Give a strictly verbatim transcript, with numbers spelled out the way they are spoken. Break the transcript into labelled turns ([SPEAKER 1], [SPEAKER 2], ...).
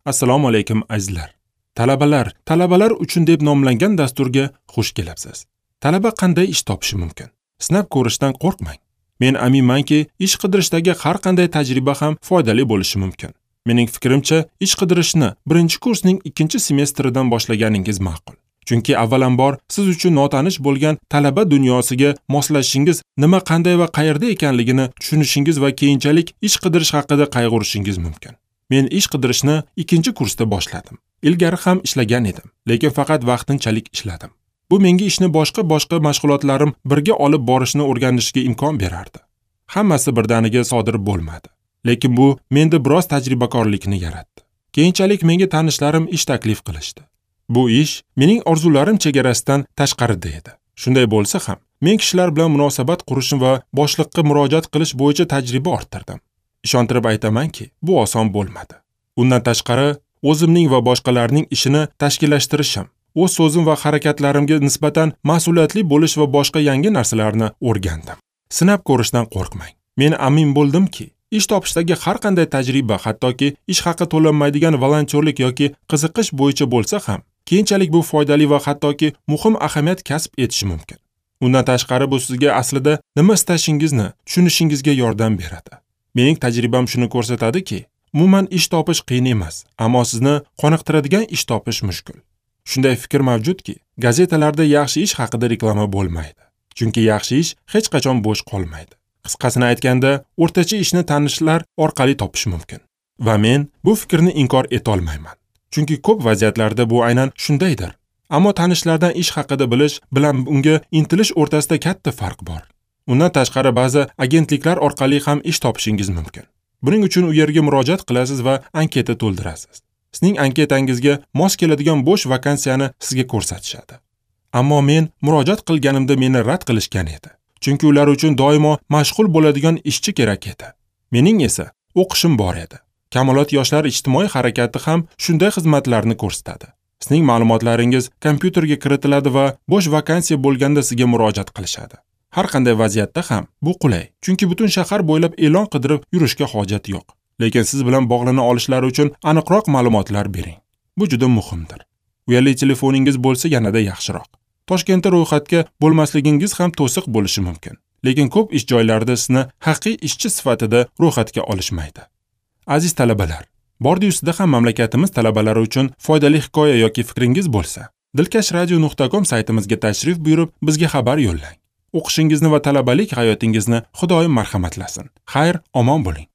[SPEAKER 1] Assalomu alaykum azizlar. Talabalar, talabalar uchun deb nomlangan dasturga xush kelibsiz. Talaba qanday ish topishi mumkin? Sinab ko'rishdan qo'rqmang. Men aminmanki, ish qidirishdagi har qanday tajriba ham foydali bo'lishi mumkin. Mening fikrimcha, ish qidirishni birinchi kursning ikkinchi semestridan boshlaganingiz ma'qul. Chunki avvalambor siz uchun notanish bo'lgan talaba dunyosiga moslashishingiz, nima, qanday va qayerda ekanligini tushunishingiz va keyinchalik ish qidirish haqida qayg'urishingiz mumkin. Men ish qidirishni ikkinchi kursda boshladim. Ilgari ham ishlagan edim, lekin faqat vaqtinchalik ishladim. Bu menga ishni boshqa-boshqa mashg'ulotlarim birga olib borishni o'rganishga imkon berardi. Hammasi birdaniga sodir bo'lmadi. Lekin bu menda biroz tajribakorlikni yaratdi. Keyinchalik menga tanishlarim ish taklif qilishdi. Bu ish mening orzularim chegarasidan tashqarida edi. Shunday bo'lsa ham, men kishilar bilan munosabat qurishim va boshliqqa murojaat qilish bo'yicha tajriba orttirdim. Ishontirib aytamanki, bu oson bo'lmadi. Undan tashqari, o'zimning va boshqalarning ishini tashkillashtirishim, o'z so'zim va harakatlarimga nisbatan mas'uliyatli bo'lish va boshqa yangi narsalarni o'rgandim. Sinab ko'rishdan qo'rqmang. Men amin bo'ldimki, ish topishdagi har qanday tajriba, hattoki ish haqi to'lanmaydigan volontyorlik yoki qiziqish bo'yicha bo'lsa ham, keyinchalik bu foydali va hattoki muhim ahamiyat kasb etishi mumkin. Undan tashqari, bu sizga aslida nima istashingizni tushunishingizga yordam beradi. Mening tajribam shuni ko'rsatadiki, umuman ish topish qiyin emas, ammo sizni qoniqtiradigan ish topish mushkul. Shunday fikr mavjudki, gazetalarda yaxshi ish haqida reklama bo'lmaydi. Chunki yaxshi ish hech qachon bo'sh qolmaydi. Qisqasini aytganda, o'rtacha ishni tanishlar orqali topish mumkin. Va men bu fikrni inkor eta olmayman. Chunki ko'p vaziyatlarda bu aynan shundaydir. Ammo tanishlardan ish haqida bilish bilan unga intilish o'rtasida katta farq bor. Undan tashqari, ba'zi agentliklar orqali ham ish topishingiz mumkin. Buning uchun u yerga murojaat qilasiz va anketa to'ldirasiz. Sizning anketangizga mos keladigan bo'sh vakansiyani sizga ko'rsatishadi. Ammo men murojaat qilganimda meni rad qilishgan edi. Chunki ular uchun doimo mashg'ul bo'ladigan ishchi kerak edi. Mening esa o'qishim bor edi. Kamolot yoshlar ijtimoiy harakati ham shunday xizmatlarni ko'rsatadi. Sizning ma'lumotlaringiz kompyuterga kiritiladi va bo'sh vakansiya bo'lganda sizga murojaat qilishadi. Har qanday vaziyatda ham bu qulay, chunki butun shahar bo'ylab e'lon qidirib yurishga hojat yo'q. Lekin siz bilan bog'lana olishlari uchun aniqroq ma'lumotlar bering. Bu juda muhimdir. Uyali telefoningiz bo'lsa yanada yaxshiroq. Toshkentda ro'yxatga bo'lmasligingiz ham to'siq bo'lishi mumkin. Lekin ko'p ish joylarida sizni haqiqiy ishchi sifatida ro'yxatga olishmaydi. Aziz talabalar, bordi ustida ham mamlakatimiz talabalari uchun foydali hikoya yoki fikringiz bo'lsa, dilkash radio nuqta com saytimizga tashrif buyurib, bizga xabar yo'llang. O'qishingizni va talabalik hayotingizni Xudoyim marhamatlasin. Xayr, omon bo'ling.